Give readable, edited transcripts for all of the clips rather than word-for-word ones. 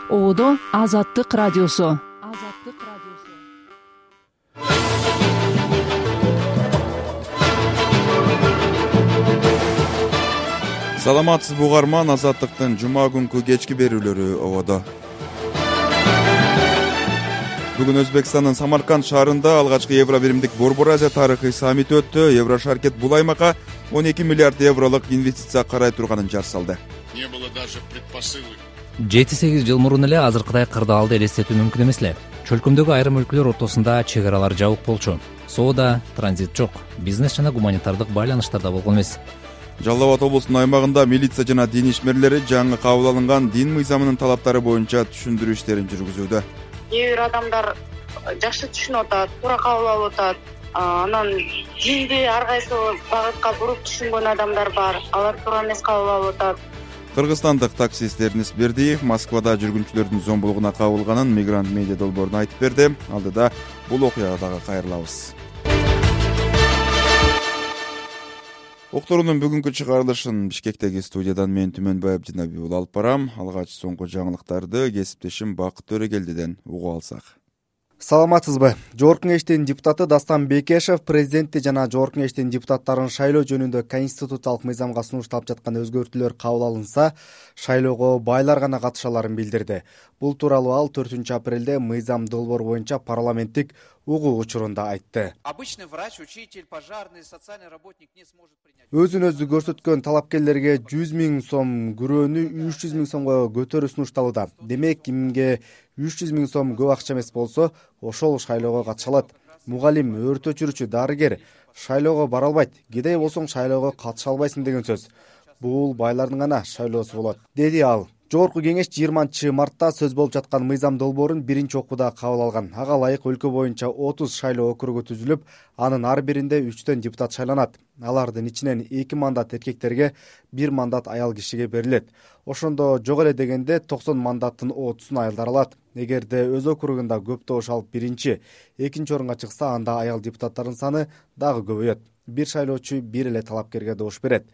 Оодо Азаттык радиосу. Саламатсызбы угарман, Азаттыктын жума күнкү кечки берүүлөрү ободо. Бүгүн Өзбекстандын Самарканд шаарында алгачкы Евробиримдик Борбор Азия тарыхый саммити өттү. Еврошаркет бул аймакка 12 миллиард евролук инвестиция карай турганын жар салды. 7-8 жыл мурун эле азыркыдай кырдаалды элестетүү мүмкүн эмес эле. Чөлкөмдөгү айрым өлкөлөр ортосунда чек аралар жабык болчу. Соода, транзит жок, бизнес жана гуманитардык байланыштар да болгон эмес. Жалал Абад облусунун аймагында милиция жана дин ишмерлери жаңы кабыл алынган дин мыйзамынын талаптары боюнча түшүндүрүү иштерин жүргүзүүдө. Кээ бир адамдар жакшы түшүнүп атат, туура кабыл алып атат. Анан динди ар кайсы багытка буруп түшүнгөн адамдар бар. Алар туура эмес кабыл алып атат. Кыргызстандык таксист Эрнис Бердиев Москвада жүргүнчүлөрдүн зомбулугуна кабылганын Мигрант медиа долбооруна айтып берди. Алдыда бул окуяга дагы кайрылабыз. Окторунун бүгүнкү чыгарылышын Бишкектеги студиядан мен Түмөнбаев Жинабиул алып барам. Алгач соңку жаңылыктарды кесиптешим Бакыт Төрөгелдиден угуп алсак. Саламатсызбы? Жогорку Кеңештин депутаты Дастан Бекешев президентти жана Жогорку Кеңештин депутаттарын шайлоо жөнүндө конституциялык мыйзамга сунушталып жаткан өзгөртүүлөр кабыл алынса, шайлоого байлар гана катыша аларын билдирди. Бул тууралуу ал 4-апрелде мыйзам долбоор боюнча парламенттик угуу учурунда айтты. Обычный врач, учитель, пожарный, социальный работник не сможет принять. Өзүн өзү көрсөткөн талапкерлерге 100 000 сом, күрөөнү 300 000 сомго көтөрүү сунушталууда. Демек, кимге 300 000 сом көп акча эмес болсо, ошол шайлоого катыша алат. Мугалим, өрт өчүрүүчү, дарыгер шайлоого бара албайт. Кедей болсоң шайлоого катыша албайсың деген сөз. Бул байлардын гана шайлоосу болот, деди ал. Жогорку Кеңеш 20-мартта сөз болуп жаткан мыйзам долбоорун биринчи окууда кабыл алган. Ага ылайык өлкө боюнча 30 шайлоо округу түзүлүп, анын ар биринде 3 депутат шайланат. Алардын ичинен 2 мандат эркектерге, 1 мандат аял кишиге берилет. Ошондо жок эле дегенде 90 мандаттын 30-ун аялдар алат. Эгерде өз округунда көп добуш алып биринчи, экинчи орунга чыкса, анда аял депутаттардын саны дагы көбөйөт. Бир шайлоочу бир эле талапкерге добуш берет.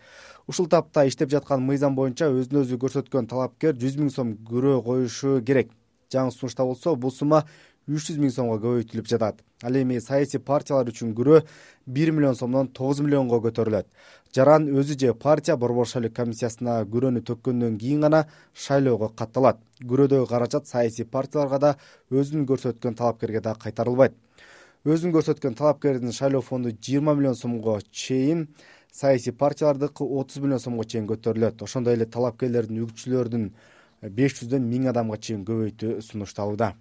Ушул тапта иштеп жаткан мыйзам боюнча өзүн өзү көрсөткөн талапкер 100 000 сом күрөө коюшу керек. Жаңы сунушта болсо, бул сумма 300 000 сомго көбөйтүлүп жатат. Ал эми саясий партиялар үчүн күрөө 1 миллион сомдон 9 миллионго көтөрүлөт. Жаран өзү же партия борбор шайлоо комиссиясына күрөөнү төккөндөн кийин гана шайлоого катталат. Күрөөдөгү каражат саясий партияларга да өзүн көрсөткөн талапкерге да кайтарылбайт. Өзүн көрсөткөн талапкердин шайлоо фонду 20 миллион сомго чейин, саясий партиялардыкы 30 миллион сомго чейин көтөрүлөт. Ошондой эле талапкерлердин үгүтчүлөрдүн 500дөн 1000 адамга чейин көбөйтүү сунушталууда.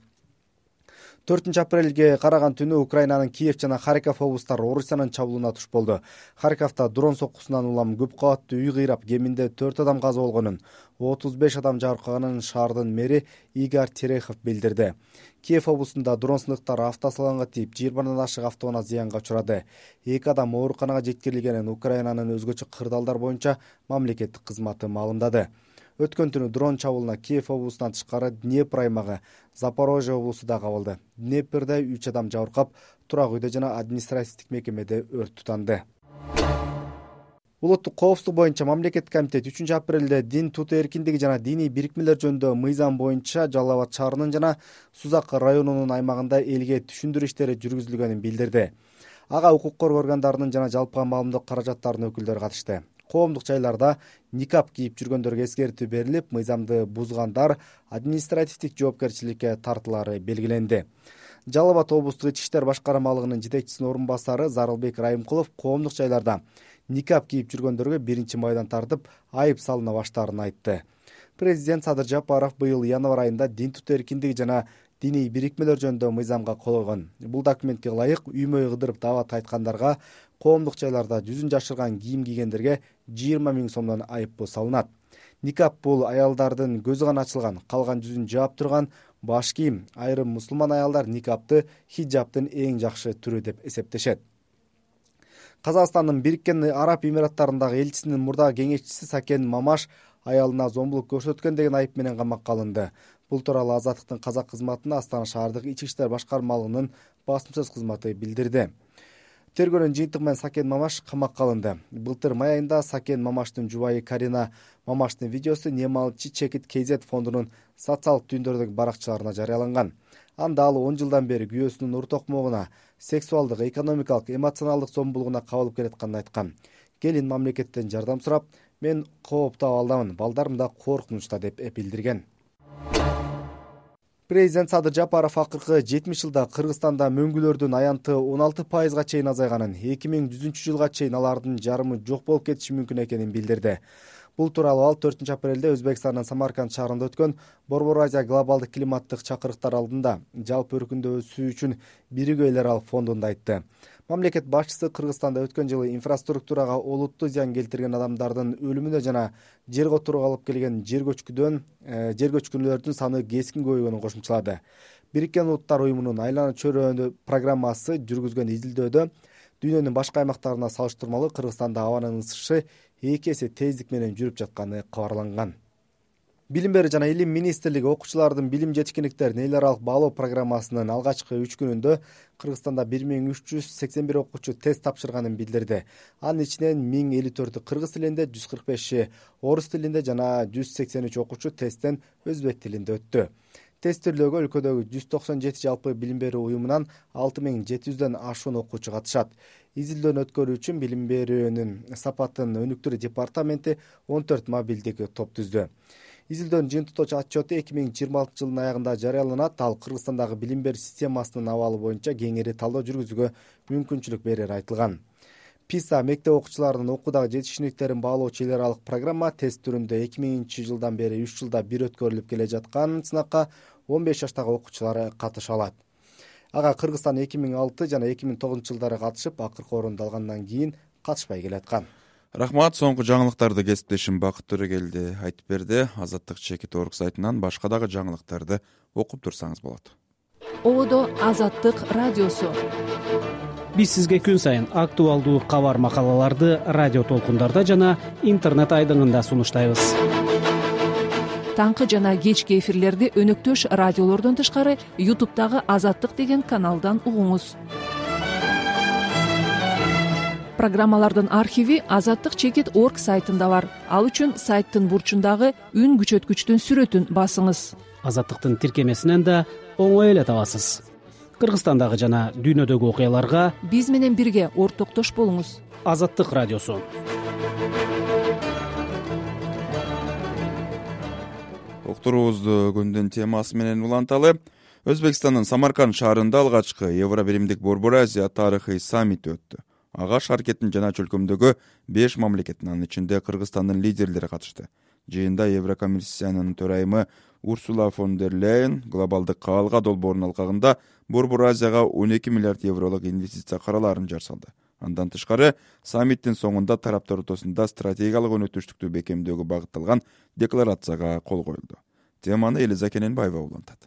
4-апрелге караган түнү Украинанын Киев жана Харьков облустары Орусиянын чабуулуна туш болду. Харьковдо дрон соккусунан улам көп кабаттуу үй кыйрап, кеминде 4 адам каза болгонун, 35 адам жабыркаганын шаардын мэри Игорь Терехов билдирди. Киев облусунда дрон сындыктары автосалонго тийип, 20 ашык автоунаа зыянга учурады. 2 адам ооруканага жеткирилгенин Украинанын өзгөчө кырдаалдар боюнча мамлекеттик кызматы маалымдады. Өткөн түнү дрон чабуулуна Киев облусунан тышкары Днепр аймагы, Запорожье облусу да кабылды. Днепрде 3 адам жабыркап, турак үйдө жана административдик мекемеде өрт тутанды. Улуттук коопсуздук боюнча мамлекеттик комитет 3-апрелде дин тутуу эркиндиги жана диний бирикмелер жөнүндө мыйзам боюнча Жалал Абад шаарынын жана Сузак районунун аймагында элге түшүндүрүү иштери жүргүзүлгөнүн билдирди. Ага укук коргоо органдарынын жана жалпы маалымдоо каражаттарынын өкүлдөрү катышты. Коомдук жайларда никап кийип жүргөндөргө эскертүү берилип, мыйзамды бузгандар административдик жоопкерчиликке тартылары белгиленди. Жалал Абад облустук ички иштер башкармалыгынын жетекчисинин орун басары Зарылбек Райымкулов коомдук жайларда никап кийип жүргөндөргө 1-майдан тартып айып салына баштаарын айтты. Президент Садыр Жапаров быйыл январь айында дин тутуу эркиндиги жана диний бирикмелер жөнүндө мыйзамга кол койгон. Бул документке ылайык үй-мөй кыдырып даават айткандарга, коомдук жайларда жүзүн жашырган кийим кийгендерге 20 000 сомдон айыппул салынат. Никап бул аялдардын көзү гана ачылган, калган жүзүн жаап турган баш кийим. Айрым мусулман аялдар никапты хиджабтын эң жакшы түрү деп эсептешет. Казакстандын Бириккен Араб Эмираттарындагы элчисинин мурдагы кеңешчиси Сакен Мамаш аялына зомбулук көрсөткөн деген айып менен камакка алынды. Бул тууралуу Азаттыктын казак кызматына Астана шаардык ички иштер башкармалыгынын басым сөз кызматы билдирди. Тергөөнүн жыйынтыгы менен Сакен Мамаш камакка алынды. Былтыр май айында Сакен Мамаштын жубайы Карина Мамаштын видеосу Немалчы чекит KZ фондунун социалдык түйүндөрдөгү баракчаларына жарыяланган. Анда ал 10 жылдан бери күйөөсүнүн ур токмогуна, сексуалдык, экономикалык, эмоционалдык зомбулугуна кабылып келатканын айткан. Келин мамлекеттен жардам сурап, мен коопто абалдамын, балдарым да коркунучта деп билдирген. Президент Садыр Жапаров акыркы 70 жылда Кыргызстанда мөңгүлөрдүн аянты 16%га чейин азайганын, 2100-жылга чейин алардын жарымы жок болуп кетиши мүмкүн экенин билдирди. Бул тууралуу ал 4-апрелде Өзбекстандын Самарканд шаарында өткөн Борбор Азия глобалдык климаттык чакырыктар алдында жалпы өркүндөө өсүү үчүн биригүү эл аралык фондунда айтты. Мамлекет башчысы Кыргызстанда өткөн жылы инфраструктурага олуттуу зыян келтирген адамдардын өлүмүнө жана жер которууга алып келген жер көчкүнөлөрдүн саны кескин көбөйгөнүн кошумчалады. Бириккен Улуттар уюмунун Айлана чөйрөөнү программасы жүргүзгөн изилдөөдө дүйнөнүн башка аймактарына салыштырмалуу Кыргызстанда абанын ысышы 2 эсе тездик менен жүрүп жатканы кабарланган. Билим берүү жана илим министрлиги окуучулардын билим жетишкендиктерин эл аралык баалоо программасынын алгачкы 3 күнүндө Кыргызстанда 1381 окуучу тест тапшырганын билдирди. Анын ичинен 1054 кыргыз тилинде, 145 орус тилинде жана 183 окуучу тесттен өзбек тилинде өттү. Тестирлөөгө өлкөдөгү 197 жалпы билим берүү уюмунан 6700дөн ашуун окуучу катышат. Изилдөөнү өткөрүү үчүн билим берүүнүн сапатын өнүктүрүү департаменти 14 мобилдик топ түздү. Изилдөөнүн жыйынтыктоочу отчету 2026 жылдын аягында жарыяланат. Ал Кыргызстандагы билим берүү системасынын абалы боюнча кеңири талдоо жүргүзүүгө мүмкүнчүлүк берери айтылган. ПИСА мектеп окуучуларынын окуудагы жетишкендиктерин баалоочу эл аралык программа тест түрүндө 2000 жылдан бери 3 жылда бир өткөрүлүп келе жаткан сынакка 15 жаштагы окуучулар катыша алат. Ага Кыргызстан 2006 жана 2009 жылдары катышып, акыркы орунду алгандан кийин катышпай келаткан. Рахмат, соңку жаңылыктарды кесиптешим Бакыт Төрөгелди айтып берди. Азаттык чекит орг сайтынан башка дагы жаңылыктарды окуп турсаңыз болот. Ободо Азаттык радиосу. Биз сизге күн сайын актуалдуу кабар макалаларды радио толкундарда жана интернет айдыңында сунуштайбыз. Таңкы жана кечки эфирлерди өнөктөш радиолордон тышкары YouTube'дагы Азаттык деген каналдан угуңуз. Программалардын архиви Азаттык чекит орг сайтында бар. Ал үчүн сайттын бурчундагы үн күчөткүчтүн сүрөтүн басыңыз. Азаттыктын тиркемесинен да оңой эле табасыз. Кыргызстандагы жана дүйнөдөгү окуяларга биз менен бирге ортоктош болуңуз. Азаттык радиосу. Уктуруубузду күндүн темасы менен уланталы. Өзбекстандын Самарканд шаарында алгачкы Евробиримдик Борбор Азия тарыхый саммити өттү. Ага шаркеттин жана чөлкөмдөгү 5 мамлекеттин, анын ичинде Кыргызстандын лидерлери катышты. Жыйында Еврокомиссиянын төрайымы Урсула фон дер Лейен глобалдык каалга долбоорунун алкагында Борбор Азияга 12 миллиард евролук инвестиция караларын жар салды. Андан тышкары саммиттин соңунда тараптар ортосунда стратегиялык өнөктөштүктү бекемдөөгө багытталган декларацияга кол коюлду. Теманы Элиза Кененбаева улантат.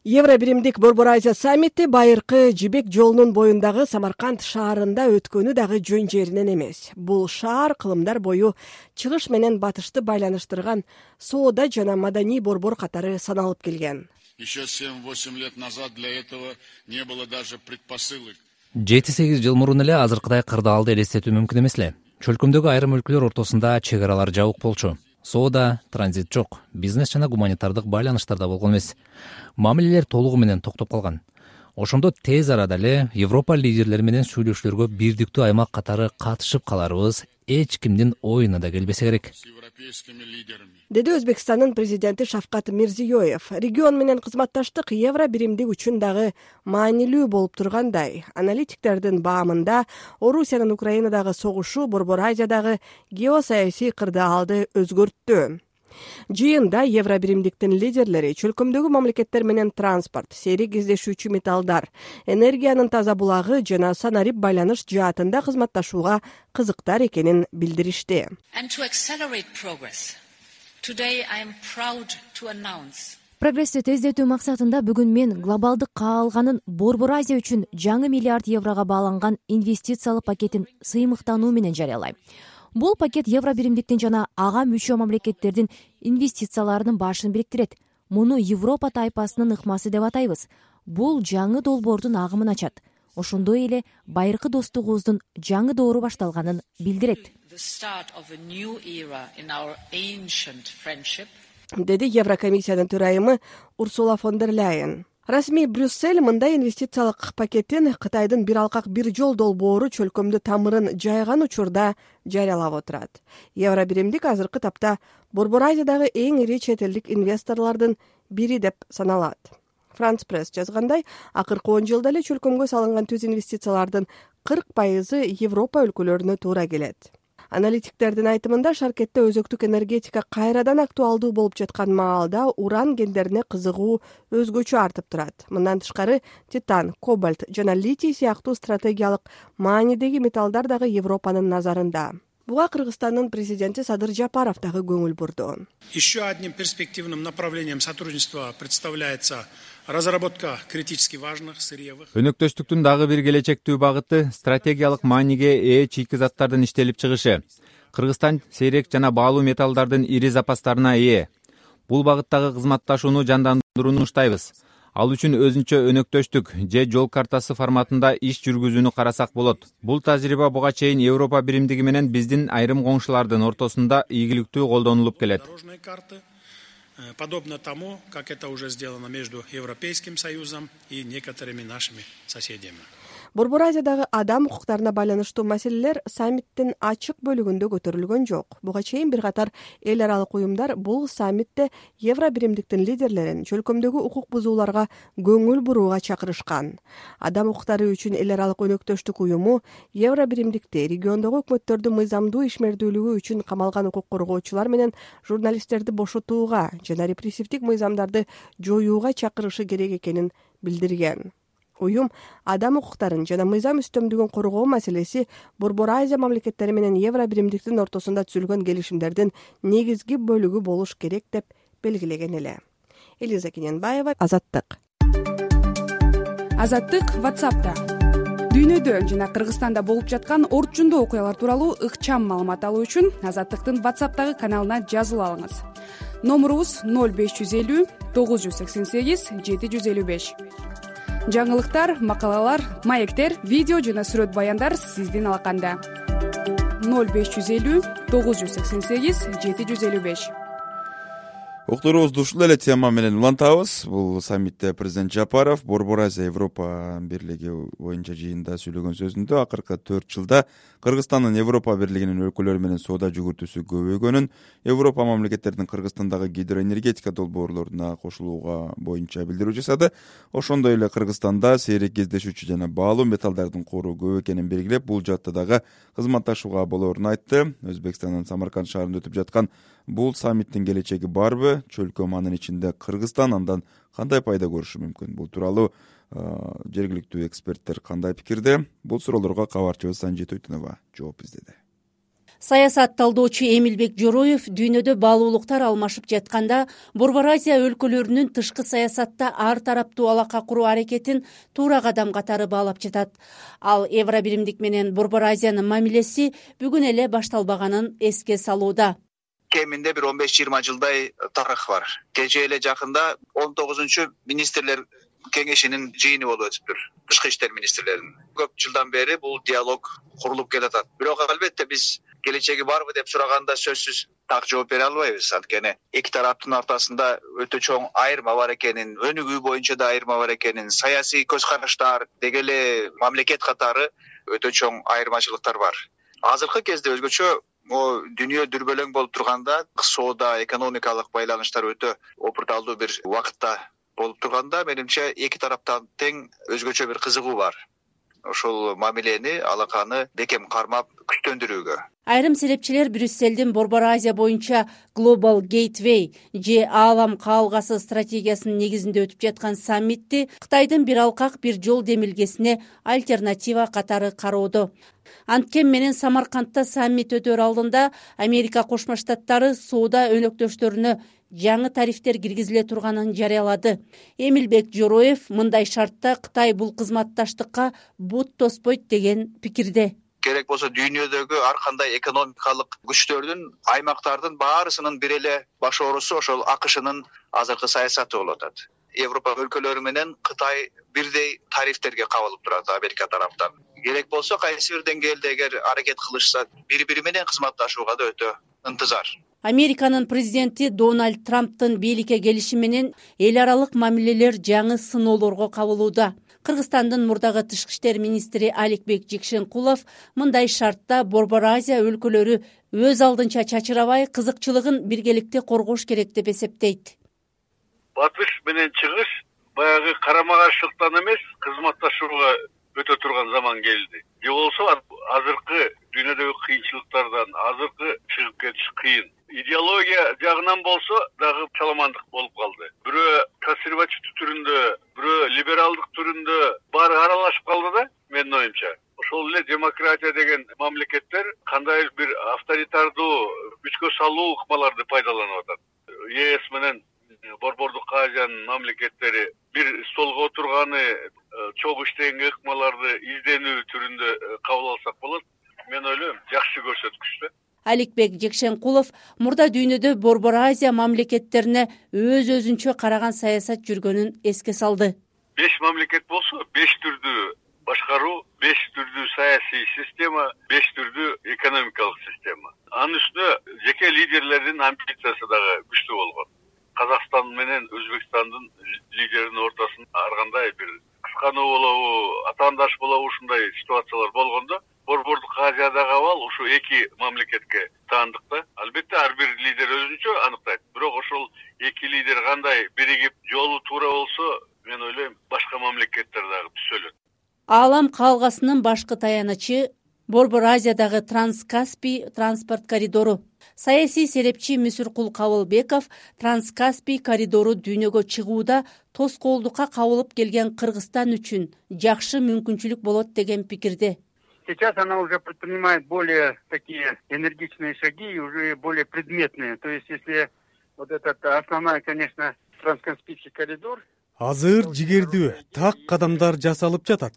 Евробиримдик Борбор Азия саммити байыркы Жибек жолунун боюндагы Самарканд шаарында өткөнү дагы жөн жеринен эмес. Бул шаар кылымдар бою чыгыш менен батышты байланыштырган соода жана маданий борбор катары саналып келген. Еще 7-8 лет назад для этого не было даже предпосылок. 7-8 жыл мурун эле азыркыдай кырдаалды элестетүү мүмкүн эмес эле. Чөлкөмдөгү айрым өлкөлөр ортосунда чек аралар жабык болчу. Соода, транзит жок, бизнес жана гуманитардык байланыштарда болгон эмес. Мамилелер толугу менен токтоп калган. Ошондо тез арада эле Европа лидерлери менен сүйлөшүүлөргө бирдиктүү аймак катары катышып каларыбыз эч кимдин оюна да келбесе керек. Деди Өзбекстандын президенти Шавкат Мирзиёев. Регион менен кызматташтык Евробиримдик үчүн дагы маанилүү болуп тургандай. Аналитиктердин баамында Орусиянын Украинадагы согушу Борбор Азиядагы геосаясий кырдаалды өзгөрттү. Жыйында Евробиримдиктин лидерлери чөлкөмдөгү мамлекеттер менен транспорт, сейрек кездешүүчү металлдар, энергиянын таза булагы жана санарип байланыш жаатында кызматташууга кызыктар экенин билдиришти. Прогрессти тездетүү максатында бүгүн мен глобалдык каалганын Борбор Азия үчүн жаңы миллиард еврого бааланган инвестициялык пакетин сыймыктануу менен жарыялайм. Бул пакет Евробиримдиктин жана ага мүчө мамлекеттердин инвестицияларынын башын бириктирет. Муну Европа тайпасынын ыкмасы деп атайбыз. Бул жаңы долбоордун агымын ачат. ошондой эле байыркы достугубуздун жаңы доору башталганын билдирет, деди Еврокомиссиянын төрайымы Урсула фон дер Ляйен. Расмий Брюссель мындай инвестициялык пакеттин Кытайдын бир алкак бир жол долбоору чөлкөмдө тамырын жайган учурда жарыялап отурат. Евробиримдик азыркы тапта Борбор Азиядагы эң ири чет элдик инвесторлордун бири деп саналат. Франц Пресс жазгандай, акыркы 10 жылда эле чөлкөмгө салынган түз инвестициялардын 40% Европа өлкөлөрүнө туура келет. Аналитиктердин айтымында шаркетте өзөктүк энергетика кайрадан актуалдуу болуп жаткан маалда уран кендерине кызыгуу өзгөчө артып турат. Мындан тышкары титан, кобальт жана литий сыяктуу стратегиялык маанидеги металлдар дагы Европанын назарында. Буга Кыргызстандын президенти Садыр Жапаров дагы көңүл бурду. Еще одним перспективным направлением сотрудничества представляется разработка критически важных сырьевых. Өнөктөштүктүн дагы бир келечектүү багыты стратегиялык мааниге ээ чийки заттардын иштелип чыгышы. Кыргызстан сейрек жана баалуу металлдардын ири запастарына ээ. Бул багыттагы кызматташууну жандандырууну уштайбыз. Ал үчүн өзүнчө өнөктөштүк же жол картасы форматында иш жүргүзүүнү карасак болот. Бул тажрыйба буга чейин Европа биримдиги менен биздин айрым коңшулардын ортосунда ийгиликтүү колдонулуп келет. Подобно тому, как это уже сделано между Европейским Союзом и некоторыми нашими соседями. Борбор Азиядагы адам укуктарына байланыштуу маселелер саммиттин ачык бөлүгүндө көтөрүлгөн жок. Буга чейин бир катар эл аралык уюмдар бул саммитте Евробиримдиктин лидерлерин чөлкөмдөгү укук бузууларга көңүл бурууга чакырышкан. Адам укуктары үчүн эл аралык өнөктөштүк уюму Евробиримдикти региондогу өкмөттөрдүн мыйзамдуу ишмердүүлүгү үчүн камалган укук коргоочулар менен журналисттерди бошотууга жана репрессивдик мыйзамдарды жоюуга чакырышы керек экенин билдирген. Уюм адам укуктарын жана мыйзам үстөмдүгүн коргоо маселеси Борбор Азия мамлекеттери менен Евробиримдиктин ортосунда түзүлгөн келишимдердин негизги бөлүгү болуш керек деп белгилеген эле. Элиза Кененбаева, Азаттык. Азаттык WhatsApp'та. Дүйнөдө жана Кыргызстанда болуп жаткан орчундуу окуялар тууралуу ыкчам маалымат алуу үчүн Азаттыктын WhatsApp'тагы каналына жазылып алыңыз. Номурубуз 0550 988 755. Жаңылыктар, макалалар, маектер, видео жана сүрөт баяндар сиздин алаканда. 0550 988 755. Уктуруубузду ушул эле тема менен улантабыз. Бул саммитте президент Жапаров Борбор Азия Европа бирлиги боюнча жыйында сүйлөгөн сөзүндө акыркы 4 жылда Кыргызстандын Европа бирлигинин өлкөлөрү менен соода жүгүртүүсү көбөйгөнүн, Европа мамлекеттеринин Кыргызстандагы гидроэнергетика долбоорлоруна кошулууга боюнча билдирүү жасады. Ошондой эле Кыргызстанда сейрек кездешүүчү жана баалуу металлдардын кору көп экенин белгилеп, бул жакта дагы кызматташууга болоорун айтты. Өзбекстандын Самарканд шаарында өтүп жаткан бул саммиттин келечеги барбы? Чөлкөм анын ичинде Кыргызстан андан кандай пайда көрүшү мүмкүн? Бул тууралуу жергиликтүү эксперттер кандай пикирде? Бул суроолорго кабарчыбыз Санжит Ойтунова жооп издеди. Саясат талдоочу Эмилбек Жороев дүйнөдө баалуулуктар алмашып жатканда Борбор Азия өлкөлөрүнүн тышкы саясатта ар тараптуу алака куруу аракетин туура кадам катары баалап жатат. Ал Евробиримдик менен Борбор Азиянын мамилеси бүгүн эле башталбаганын эске салууда. Кеминде бир 15-20 жылдай тарых бар. Кечээ эле жакында 19-чу министрлер кеңешинин жыйыны болуп өтүптүр. Тышкы иштер министрлеринин. Көп жылдан бери бул диалог курулуп келатат. Бирок албетте биз келечеги барбы деп сураганда сөзсүз так жооп бере албайбыз. Анткени эки тараптын ортосунда өтө чоң айырма бар экенин, өнүгүү боюнча да айырма бар экенин, саясий көз караштар, деги эле мамлекет катары өтө чоң айырмачылыктар бар. Азыркы кезде өзгөчө дүйнө дүрбөлөң болуп турганда, соода, экономикалык байланыштар өтө опурталдуу бир убакытта болуп турганда, менимче эки тараптан тең өзгөчө бир кызыгуу бар. Ошол мамилени, алаканы бекем кармап күчтөндүрүүгө. Айрым серепчилер Брюссельдин Борбор Азия боюнча Global Gateway же аалам каалгасы стратегиясынын негизинде өтүп жаткан саммитти Кытайдын бир алкак бир жол демилгесине альтернатива катары кароодо. Анткени менен Самаркандта саммит өтөр алдында Америка Кошмо Штаттары соода өнөктөштөрүнө жаңы тарифтер киргизиле турганын жарыялады. Эмилбек Жороев мындай шартта Кытай бул кызматташтыкка бут тоспойт деген пикирде. керек болсо дүйнөдөгү ар кандай экономикалык күчтөрдүн, аймактардын баарысынын бир эле баш оорусу ошол АКШнын азыркы саясаты болуп атат. Европа өлкөлөрү менен Кытай бирдей тарифтерге кабылып турат Америка тараптан. Керек болсо кайсы бир деңгээлде эгер аракет кылышса, бири-бири менен кызматташууга да өтө ынтызар. Американын президенти Дональд Трамптын бийликке келиши менен эл аралык мамилелер жаңы сыноолорго кабылууда. Кыргызстандын мурдагы тышкы иштер министри Аликбек Жекшенкулов мындай шартта Борбор Азия өлкөлөрү өз алдынча чачырабай, кызыкчылыгын биргеликте коргош керек деп эсептейт. Батыш менен чыгыш баягы карама-каршылыктан эмес, кызматташууга өтө турган заман келди. Же болсо азыркы дүйнөдөгү кыйынчылыктардан азыркы чыгып кетиш кыйын. Идеология жагынан болсо дагы чаламандык болуп калды. Бирөө консервативдүү түрүндө, бирөө либералдык түрүндө баары аралашып калды да, менин оюмча. Ошол эле демократия деген мамлекеттер кандай бир авторитардуу күчкө салуу ыкмаларды пайдаланып атат. ЕС менен Борбордук Азиянын мамлекеттери бир столго отурганы, чогуу иштегенге ыкмаларды изденүү түрүндө кабыл алсак болот. Мен ойлойм, жакшы көрсөткүч да. Аликбек Жекшенкулов мурда дүйнөдө Борбор Азия мамлекеттерине өз-өзүнчө караган саясат жүргөнүн эске салды. 5 мамлекет болсо, 5 түрдүү башкаруу, 5 түрдүү саясий система, 5 түрдүү экономикалык система. Анын үстүнө жеке лидерлердин амбициясы дагы күчтүү болгон. Казакстан менен Өзбекстандын лидеринин ортосунда ар кандай бир кыскануу болобу, атаандаш болобу ушундай ситуациялар болгондо, Борбордук Азиядагы абал ушу эки мамлекетке таандык да. Албетте ар бир лидер өзүнчө аныктайт. Бирок ошол эки лидер кандай биригип жолу туура болсо, мен ойлойм, башка мамлекеттер дагы түзөлөт. Аалам калгасынын башкы таянычы Борбор Азиядагы Транскаспий транспорт коридору. Саясий серепчи Мүсүркул Кабылбеков Транскаспий коридору дүйнөгө чыгууда тоскоолдукка кабылып келген Кыргызстан үчүн жакшы мүмкүнчүлүк болот деген пикирде. Сейчас она уже предпринимает более такие энергичные шаги и уже более предметные. То есть, если вот этот основной, конечно, Транскаспийский коридор. Азыр жигердүү так кадамдар жасалып жатат.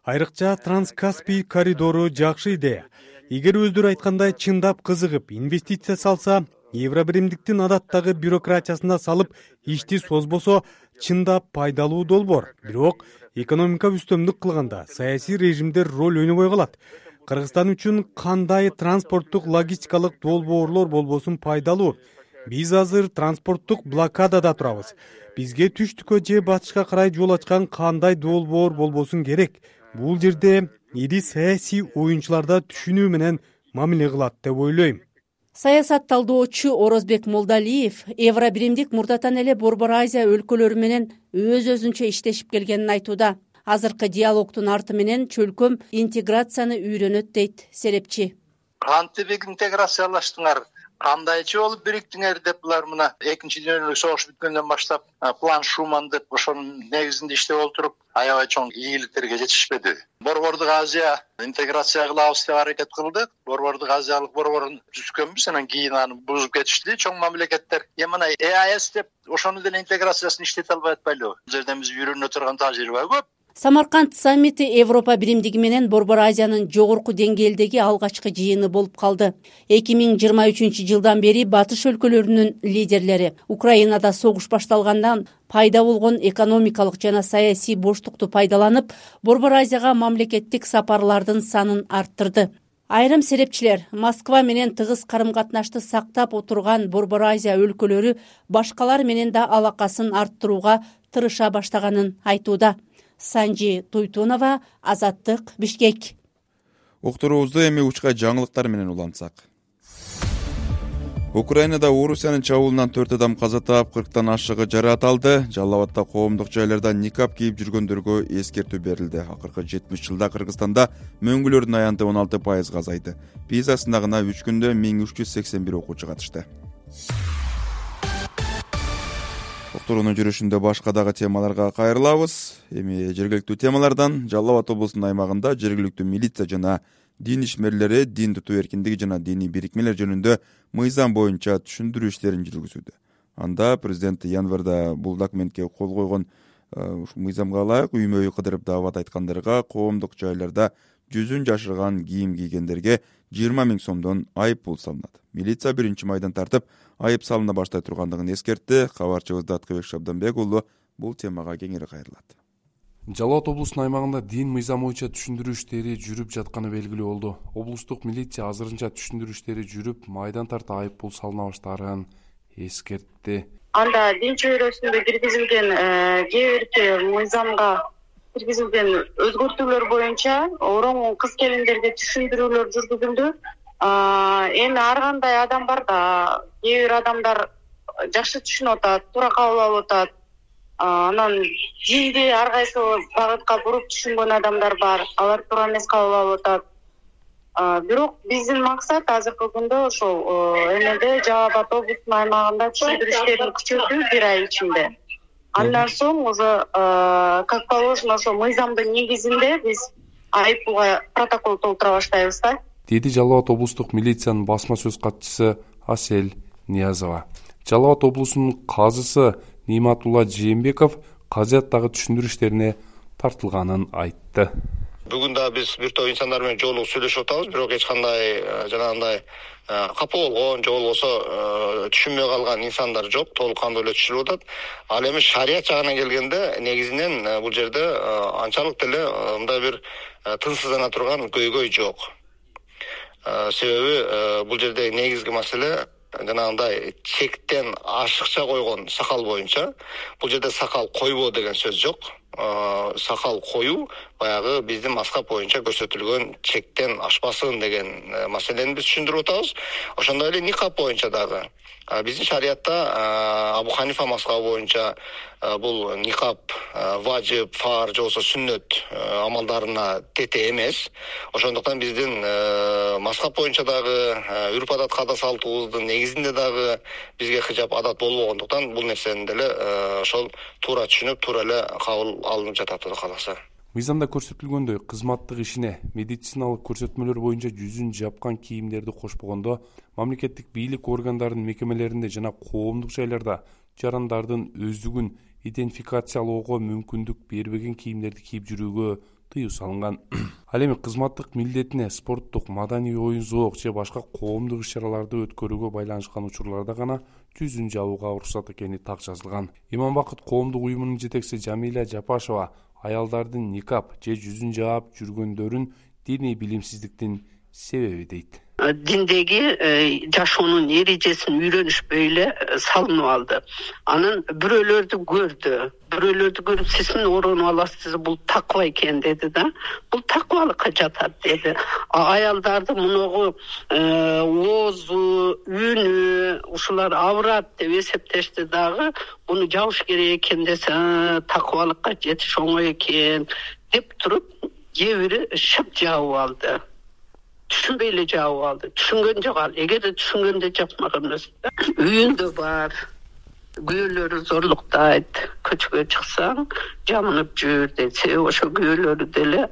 Айрыкча Транскаспий коридору жакшы идея. Эгер өздөрү айткандай чындап кызыгып инвестиция салса, Евробиримдиктин адаттагы бюрократиясына салып ишти созбосо, чындап пайдалуу долбоор. Бирок экономика үстөмдүк кылганда саясий режимдер роль ойнобой калат. Кыргызстан үчүн кандай транспорттук логистикалык долбоорлор болбосун пайдалуу. Биз азыр транспорттук блокадада турабыз. Бизге түштүккө же батышка карай жол ачкан кандай долбоор болбосун керек. Бул жерде ири саясий оюнчуларда түшүнүү менен мамиле кылат деп ойлойм. Саясат талдоочу Орозбек Молдалиев Евробиримдик мурдатан эле Борбор Азия өлкөлөрү менен өз-өзүнчө иштешип келгенин айтууда. Азыркы диалогтун арты менен чөлкөм интеграцияны үйрөнөт дейт серепчи. Кантип интеграциялаштыңар? Кандайчы болуп бириктиңер деп булар мына экинчи дүйнөлүк согуш бүткөндөн баштап план Шуман деп ошонун негизинде иштеп отуруп аябай чоң ийгиликтерге жетишпеди. Борбордук Азия интеграция кылабыз деп аракет кылдык. Борбордук Азиялык борборун түзгөнбүз, анан кийин аны бузуп кетишти чоң мамлекеттер. Мына ЕАЭС деп ошону деле интеграциясын иштете албай атпайлыбы? Бул жерден биз үйрөнө турган тажрыйба көп. Самарканд саммити Европа биримдиги менен Борбор Азиянын жогорку деңгээлдеги алгачкы жыйыны болуп калды. 2023 жылдан бери батыш өлкөлөрүнүн лидерлери Украинада согуш башталгандан пайда болгон экономикалык жана саясий боштукту пайдаланып, Борбор Азияга мамлекеттик сапарлардын санын арттырды. Айрым серепчилер Москва менен тыгыз карым-катнашты сактап отурган Борбор Азия өлкөлөрү башкалар менен да алакасын арттырууга тырыша баштаганын айтууда. Санжи Туйтунова, Азаттык, Бишкек. Уктуруубузду эми учка жаңылыктар менен улантсак. Украинада Орусиянын чабуулунан 4 адам каза таап, 40тан ашыгы жараат алды. Жалал Абадда коомдук жайларда никап кийип жүргөндөргө эскертүү берилди. Акыркы 70 жылда Кыргызстанда мөңгүлөрдүн аянты 16% азайды. Пиза сынагына 3 күндө 1381 окуучу катышты. Уктуруунун жүрүшүндө башка дагы темаларга кайрылабыз. Эми жергиликтүү темалардан Жалал Абад облусунун аймагында жергиликтүү милиция жана дин ишмерлери дин тутуу эркиндиги жана диний бирикмелер жөнүндө мыйзам боюнча түшүндүрүү иштерин жүргүзүүдө. Анда президент январда бул документке кол койгон мыйзамга ылайык үймө үй кыдырып даават айткандарга коомдук жайларда жүзүн жашырган кийим кийгендерге 20 000 сомдон айып пул салынат. Милиция 1-майдан тартып айып салына баштай тургандыгын эскертти. Кабарчыбыз Даткыбек Шабданбек уулу бул темага кеңири кайрылат. Жалал Абад облусунун аймагында дин мыйзам боюнча түшүндүрүү иштери жүрүп жатканы белгилүү болду. Облустук милиция азырынча түшүндүрүү иштери жүрүп, майдан тарта айып пул салына баштаарын эскертти. Анда дин чөйрөсүндө киргизилген кээ бир мыйзамга киргизилген өзгөртүүлөр боюнча ороң кыз келиндерге түшүндүрүүлөр жүргүзүлдү. Эми ар кандай адам бар да, кээ бир адамдар жакшы түшүнүп атат, туура кабыл алып атат. Анан динди ар кайсы багытка буруп түшүнгөн адамдар бар. Алар туура эмес кабыл алып атат. Бирок биздин максат азыркы күндө ошол эмеде Жалал Абад облусунун аймагында түшүндүрүү иштерин күчөтүү 1 ай ичинде. Андан соң уже как положено ошо мыйзамдын негизинде биз айып пулга протокол толтура баштайбыз да. Деди Жалал Абад облустук милициянын басма сөз катчысы Асель Ниязова. Жалал Абад облусунун казысы Ниматулла Жээнбеков казыяттагы түшүндүрүү иштерине тартылганын айтты. Бүгүн да биз бир топ инсандар менен жолугуп сүйлөшүп атабыз, бирок эч кандай жанагындай капа болгон же болбосо түшүнбөй калган инсандар жок, толук кандуу эле түшүнүп атат. Ал эми шарият жагына келгенде негизинен бул жерде анчалык деле мындай бир тынчсыздана турган көйгөй жок. Себеби бул жерде негизги маселе жанагындай чектен ашыкча койгон сакал боюнча. Бул жерде сакал койбоо деген сөз жок. Сакал коюу баягы биздин мазхаб боюнча көрсөтүлгөн чектен ашпасын деген маселени биз түшүндүрүп атабыз. Ошондой эле никап боюнча дагы биздин шариятта Абу Ханифа мазхабы боюнча бул никап важип, фар же болбосо сүннөт амалдарына тете эмес. Ошондуктан биздин мазхаб боюнча дагы үрп адат каада салтыбыздын негизинде дагы бизге хижап адат болбогондуктан бул нерсени деле ошол туура түшүнүп, туура эле кабыл алынып жатат Кудай кааласа. Мыйзамда көрсөтүлгөндөй кызматтык ишине медициналык көрсөтмөлөр боюнча жүзүн жапкан кийимдерди кошпогондо мамлекеттик бийлик органдарынын мекемелеринде жана коомдук жайларда жарандардын өздүгүн идентификациялоого мүмкүндүк бербеген кийимдерди кийип жүрүүгө тыюу салынган. Ал эми кызматтык милдетине спорттук, маданий оюн зоок же башка коомдук иш-чараларды өткөрүүгө байланышкан учурларда гана жүзүн жабууга уруксат экени так жазылган. Иманбакыт коомдук уюмунун жетекчиси Жамиля Жапашева аялдардын никап же жүзүн жаап жүргөндөрүн диний билимсиздиктин себеби дейт. Диндеги жашоонун эрежесин үйрөнүшпөй эле салынып алды. Анан бирөөлөрдү көрүп сиз орунуп аласыз, бул таква экен деди да. Бул таквалыкка жатат деди. Аялдарды муногу оозу, үнү, ушулар аврат деп эсептешти дагы. Буну жабыш керек экен десе, таквалыкка жетиш оңой экен деп туруп, кээ бири шып жаап алды. Түшүнбөй эле жаап алды. Түшүнгөн жок ал. Эгерде түшүнгөндө жапмаган эмес. Үйүндө бар. Күйөөлөрү зорлуктайт. Көчкө чыксаң, жамынып жүр дейт. Себеби ошо күйөөлөрү деле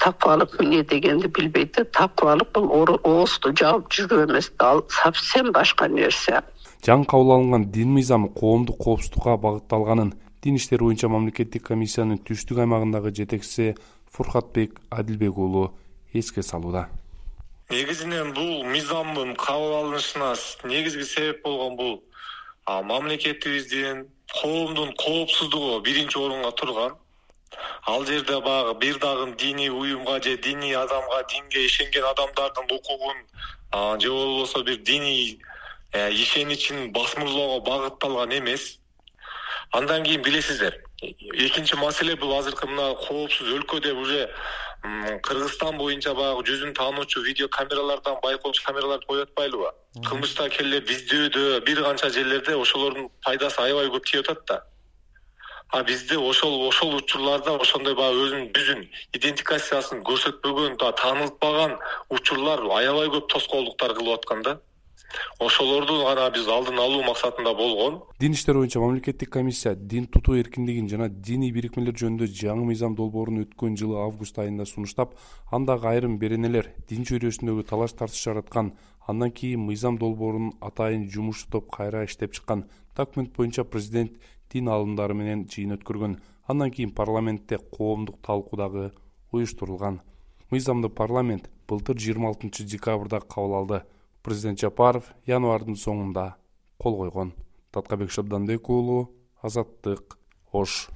таквалык эмне дегенди билбейт. Таквалык бул оозду жаап жүрүү эмес, ал совсем башка нерсе. Жаңы кабыл алынган дин мыйзамы коомдук коопсуздукка багытталганын дин иштери боюнча мамлекеттик комиссиянын түштүк аймагындагы жетекчиси Фуркатбек Адилбек уулу эске салууда. Негизинен бул мыйзамдын кабыл алынышына негизги себеп болгон бул мамлекетибиздин коомдун коопсуздугу биринчи орунга турган. Ал жерде баягы бир дагы диний уюмга же диний адамга, динге ишенген адамдардын укугун же болбосо бир диний ишеничин басмырлоого багытталган эмес. Андан кийин билесиздер, экинчи маселе бул азыркы мына коопсуз өлкөдө уже Кыргызстан боюнча баягы жүзүн таануучу видео камералардан байкоочу камераларды коюп атпайлыбы? Кылмышта келе биздөөдө бир канча жерлерде ошолордун пайдасы аябай көп тийип атат да. Бизде ошол учурларда ошондой баягы өзүнүн идентификациясын көрсөтпөгөн, таанылтпаган учурлар аябай көп тоскоолдуктар кылып аткан да. Ошолорду гана биз алдын алуу максатында болгон. Дин иштери боюнча мамлекеттик комиссия дин тутуу эркиндигин жана диний бирикмелер жөнүндө жаңы мыйзам долбоорун өткөн жылы август айында сунуштап, андагы айрым беренелер дин чөйрөсүндөгү талаш тартыш жараткан. Андан кийин мыйзам долбоорун атайын жумуш топ кайра иштеп чыккан. Документ боюнча президент дин алымдары менен жыйын өткөргөн. Андан кийин парламентте коомдук талкуу дагы уюштурулган. мыйзамды парламент былтыр 26 декабрда кабыл алды. Президент Жапаров январдын соңунда кол койгон. Таткабек Шабданбек уулу, Азаттык, Ош.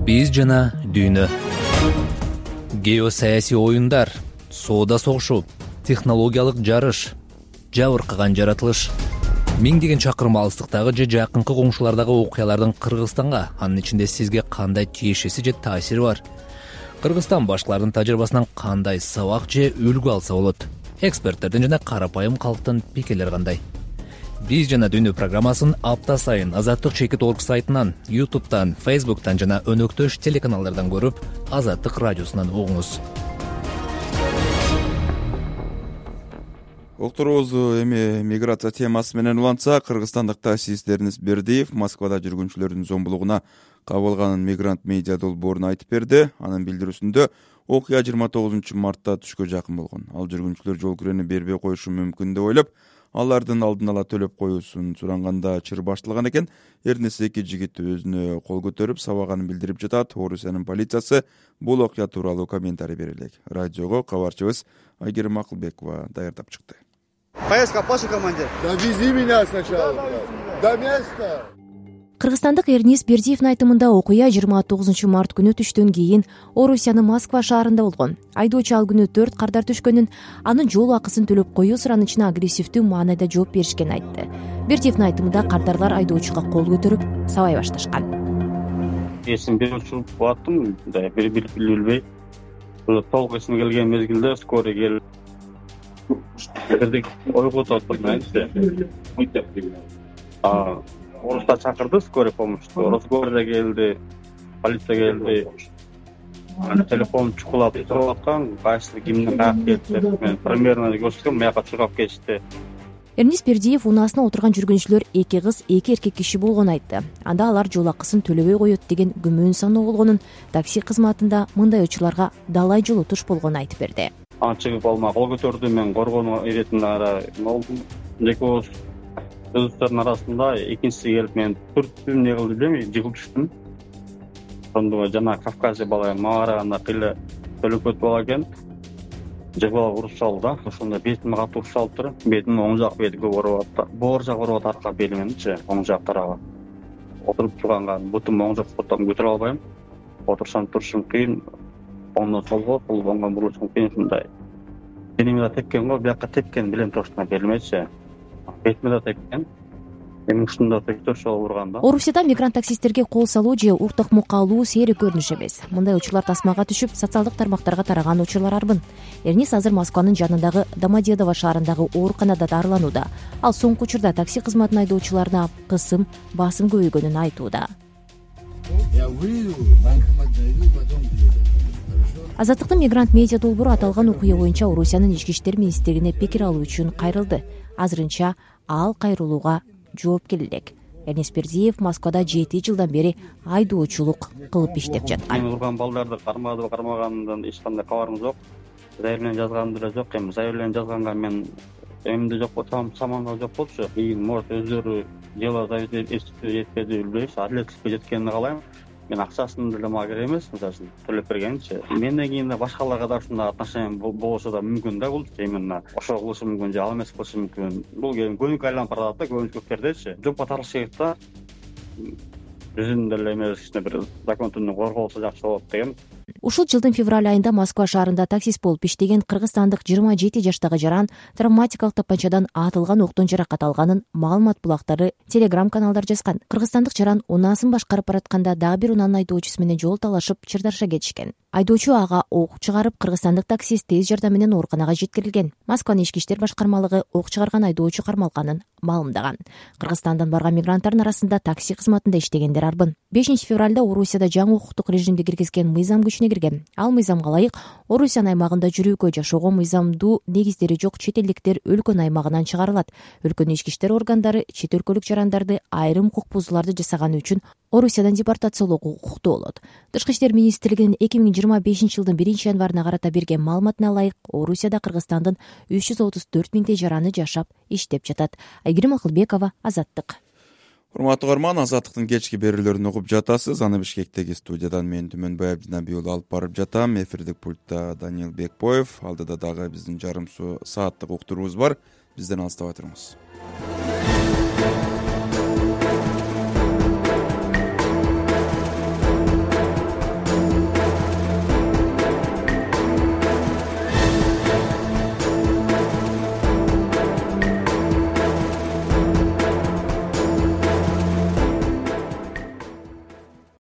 Биз жана дүйнө. Геосаясий оюндар, соода согушу, технологиялык жарыш, жабыркаган жаратылыш. Миңдеген чакырым алыстыктагы же жакынкы коңшулардагы окуялардын Кыргызстанга, анын ичинде сизге кандай тиешеси же таасири бар? Кыргызстан башкалардын тажрыйбасынан кандай сабак же үлгү алса болот? Эксперттердин жана карапайым калктын пикирлери кандай? Биз жана дүйнө программасын апта сайын Азаттык Чекит.org сайтынан, YouTube'тан, Facebook'тан жана өнөктөш телеканалдардан көрүп, Азаттык радиосунан угуңуз. Окторубуз эми миграция темасы менен улантса, кыргызстандык таксисттериниз Бердиев Москвада жүргүнчүлөрдүн зомбулугуна кабылганын Мигрант медиа долбоорунда айтып берди. Анын билдирүүсүндө окуя 29 мартта түшкө жакын болгон. Ал жүргүнчүлөр жол кирени бербей коюшу мүмкүн деп ойлоп, алардын алдын ала төлөп коюусун суранганда чыр башталган экен. Эрнеси эки жигит өзүнө кол көтөрүп сабаганын билдирип жатат. Орусиянын полициясы бул окуя тууралуу комментарий бере элек. Радиого кабарчыбыз Айгерим Акылбекова даярдап чыкты. Поездка, пошли, командир. Довези меня сначала. До места. Кыргызстандык Эрнис Бердиевдин айтымында окуя 29 март күнү түштөн кийин Орусиянын Москва шаарында болгон. Айдоочу ал күнү 4 кардар түшкөнүн, анын жол акысын төлөп коюу суранычына агрессивдүү маанайда жооп беришкенин айтты. Бердиевдин айтымында кардарлар айдоочуга кол көтөрүп сабай башташкан. Эсимде учуруп баттым, билбей. Толук эсиме келген мезгилде скорый келип бирдик ойготуп отурмайбызчы. Орусда чакырды скорый помощьту. Росгвардия келди, полиция келди. Телефон чукулап туруп аткан, кайсы кимдин каяка келди деп мен примерно көрсөткөм, маяка чуркап кетишти. Эрнис Бердиев унаасына отурган жүргүнчүлөр 2 кыз, 2 эркек киши болгонун айтты. Анда алар жол акысын төлөбөй коет деген күмөн саноо болгонун, такси кызматында мындай учурларга далай жолотуш болгонун айтып берди. Чыгып алма кол көтөрдү, мен коргонуу иретине ара болдум. Экөөбүз өздөрүнүн арасында экинчиси келип мен түрттүм, эмне кылды билбейм, жыгылып түштүм. Ошондо жана Кавказия бала мага караганда кыйла төлөкөт бала экен. Жыгып алып уруп салды да, ошондо бетиме катуу уруп салыптыр. Бетимин оң жак бети көп ооруп атты. Боор жак ооруп атат, арка белименчи, оң жак тарабы. Отуруп турганга бутум оң жак бутум көтөрө албайм. Отурсам турушум кыйын. Оңдон солго, солго оңго бурушум кыйын ушундай. Денеме да тепкен го, бияка тепкен билем точно берилмечи. Бетиме да тепкен. Эми ушунда төктөршө урганда. Орусияда мигрант таксисттерге кол салуу же уктакмукка алуу сейрек көрүнүш эмес. Мындай учурлар тасмага түшүп, социалдык тармактарга тараган учурлар арбын. Эрнис азыр Москванын жанындагы Домодедово шаарындагы ооруканада дарыланууда. Ал соңку учурда такси кызматын айдоочуларына кысым, басым көбөйгөнүн айтууда. Азаттыктын Мигрант медиа долбоору аталган окуя боюнча Орусиянын ички иштер министрлигине пикир алуу үчүн кайрылды. Азырынча ал кайрылууга жооп элек. Эрнис Бердиев Москвада 7 жылдан бери айдоочулук кылып иштеп жаткан. Мен урган балдарды кармады, кармагандан эч кандай кабарым жок. Заявление жазган деле жок. Эми заявление жазганга мен эмде жок болсом, саманда жок болчу. Может өздөрү дело жетпеди билбейбиз. Адилеттикке жеткенин каалайм. Мен акчасын деле мага керек эмес, мисалы үчүн төлөп бергенчи. Менден кийин да башкаларга да ушундай отношение болсо да мүмкүн да бул. Именно ошо кылышы мүмкүн же ал эмес кылышы мүмкүн. Бул көбүнкү айланып баратат да, көбүнчө көптердечи. Жопко тартылыш керек да. Биздин деле эмес кичине бир закон түрүндө корголсо жакшы болот деген. Ушул жылдын февраль айында Москва шаарында таксист болуп иштеген кыргызстандык 27 жаштагы жаран травматикалык тапанчадан атылган октон жаракат алганын маалымат булактары Telegram каналдар жазган. Кыргызстандык жаран унаасын башкарып баратканда дагы бир унаанын айдоочусу менен жол талашып чырдаша кетишкен. Айдоочу ага ок чыгарып, кыргызстандык таксист тез жардам менен ооруканага жеткирилген. Москванын ички иштер башкармалыгы ок чыгарган айдоочу кармалганын маалымдаган. Кыргызстандан барган мигранттардын арасында такси кызматында иштегендер арбын. 5 февралда Орусияда жаңы укуктук режимди киргизген мыйзам күчүнө кирген. Ал мыйзамга ылайык Орусиянын аймагында жүрүүгө, жашоого мыйзамдуу негиздери жок чет элдиктер өлкөнүн аймагынан чыгарылат. Өлкөнүн ички иштер органдары чет өлкөлүк жарандарды айрым укук бузууларды жасаганы үчүн Орусиядан депортациялоого укуктуу болот. Тышкы иштер министрлигинин 2025 жылдын 1-январына карата берген маалыматына ылайык Орусияда Кыргызстандын 334 миңдей жараны жашап иштеп жатат. Айгерим Акылбекова, Азаттык. урматтуу угарман, Азаттыктын кечки берүүлөрүн угуп жатасыз. Аны Бишкектеги студиядан мен Түмөнбай Абдинабий уулу алып барып жатам. Эфирдик пультта Даниил Бекбоев, алдыда дагы биздин жарым сааттык уктуруубуз бар. Бизден алыстабай туруңуз.